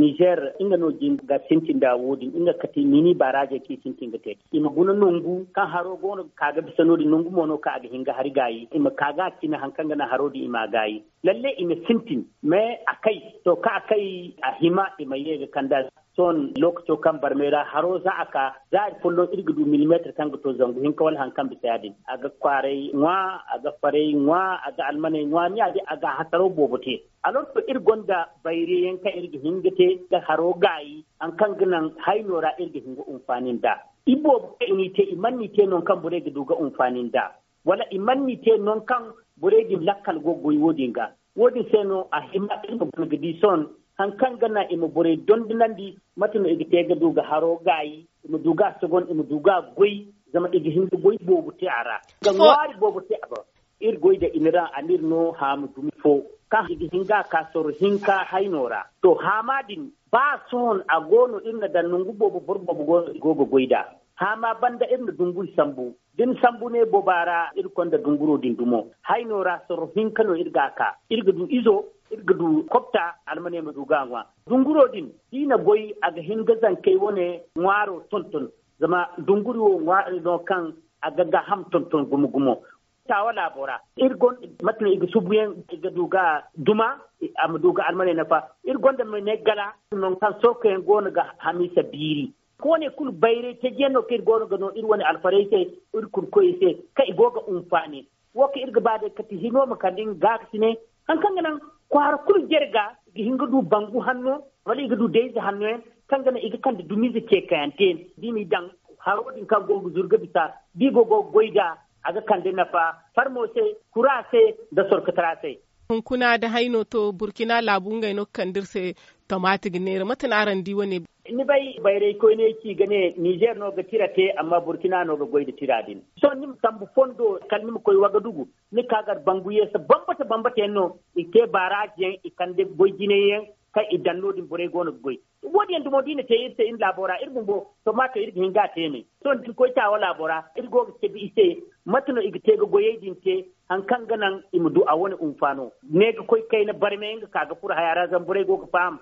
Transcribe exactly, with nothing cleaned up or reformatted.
Nizer nga no jin ga sintin da wo- din nga kati mini baraaje kaŋ i sintin ga te i ma guna nangu kaŋ haro go no ga ka ga bisa no- din nangu mo no kaŋ a ga hin ga hari gaayi i ma ka ga a cine hari kaŋ ga naŋ haro din i ma a gaayi. Lalle i ma sintin, mais a kay, to kaŋ a kay, a hima i ma ye ga kand'a. Sohõ lookaco kaŋ barmay ra haro za a ka, za hari folloŋ iri ga du milimeetir kaŋ ga to zangu hinka wala hari kaŋ bisa ya- din a ga kwaaray ŋwa, a ga faray ŋwa, a ga almaney ŋwa ni ya- din a ga a hasaro boobo te. Alor to iri gonda bayray yaŋ kaŋ iri ga hin ga te ga haro gaayi, hari kaŋ ga naŋ hayno ra iri ga hin ga hunfaani nd'a. Iboobo kaŋ i n'i te i mana n'i te nangu kaŋ borey ga du ga hunfaani nd'a, wala i mana n'i te nangu kaŋ borey din lakkal go ga goy wo- din ga. Wo- din se no a hima iri ma guna ga di sohõ hari kaŋ ga naŋ i ma borey dondonandi, mate no i ga te ga du ga haro gaayi, i ma du ga a sogon, i ma du ga a goy, zama i ga hin ga goy boobo te a ra, ga ŋwaari boobo te a boŋ. Iri goy da inira anir no haamu dumi fo kaŋ i ga hin ga a ka sorro hinka hayno ra. To haama din, ba sohõ a go no iri na daŋ nangu boobo boro boobo go no i go ga goy nd'a. Haama banda iri na dunguri sambu. Da ni sambu ne booba ra iri konda dunguro din dumo hayno ra sorro hinka no iri ga a ka. Iri ga du izo, iri ga du kobta, almaney ma du ga a ŋwa. Dunguro din da i na goy a ga hin ga zankey wane ŋwaaro tonton. Zama dunguri wo ŋwaari no kaŋ a ga gaaham tonton gumo gumo. Taawa laabo ra iri gonda mate no i ga subuyaŋ i ga du ga duma, a ma du ga almaney nafa. Iri gonda ma ne gala, nangu kaŋ sorkoyaŋ go no ga hamiisa biiri. Koone kulu bayray tajiyaŋ no kaŋ iri go no ga no iri wane alfarey se, iri kurkoyey se, kaŋ i go ga hunfaani. Wo kaŋ iri ga ba day kati hino ma kande nga gaakasiney, hari kaŋ ga naŋ kwaara kulu jare ga i ga hin ga du bangu hanno, wala i ga du dayze hanno yaŋ, kaŋ ga naŋ i ga kande dumiize ceekayante yaŋ da i m'i daŋ haro din kaŋ go ga zuru ga bisa, da i go go ga goy nd'a, a ga kande nafa farmo se, kura se, nda sorkotara se. Hunkuna da hayno to burkina laabu ngey no ga kande iri se tomaati ga neera mate no araŋ di wane? Ni bay bayray koyne ci ga ne nizer no ga tira te amma burkina no ga goy nda tira din. Sohõ ni ma sambu fondo kala ni ma koy wagadugu, ni ka gar bangu yeese bambata bambata yaŋ no i te baaraaji yaŋ i kande goy jinay yaŋ, kaŋ i daŋ no- din borey go no ga goy. Wo- din yaŋ dumo da i na te iri se iri laabo ra iri bumbo tomaato iri ga hin ga a te me. Sohõ da ni koy taawa laabo ra iri go ga cabe i se, mate no i ga te ga goyey din te, hari kaŋ ga naŋ i ma du a wane hunfaano. Ne ga koy kayna barmay nga ka ga furo haya ra zama borey go ga faham.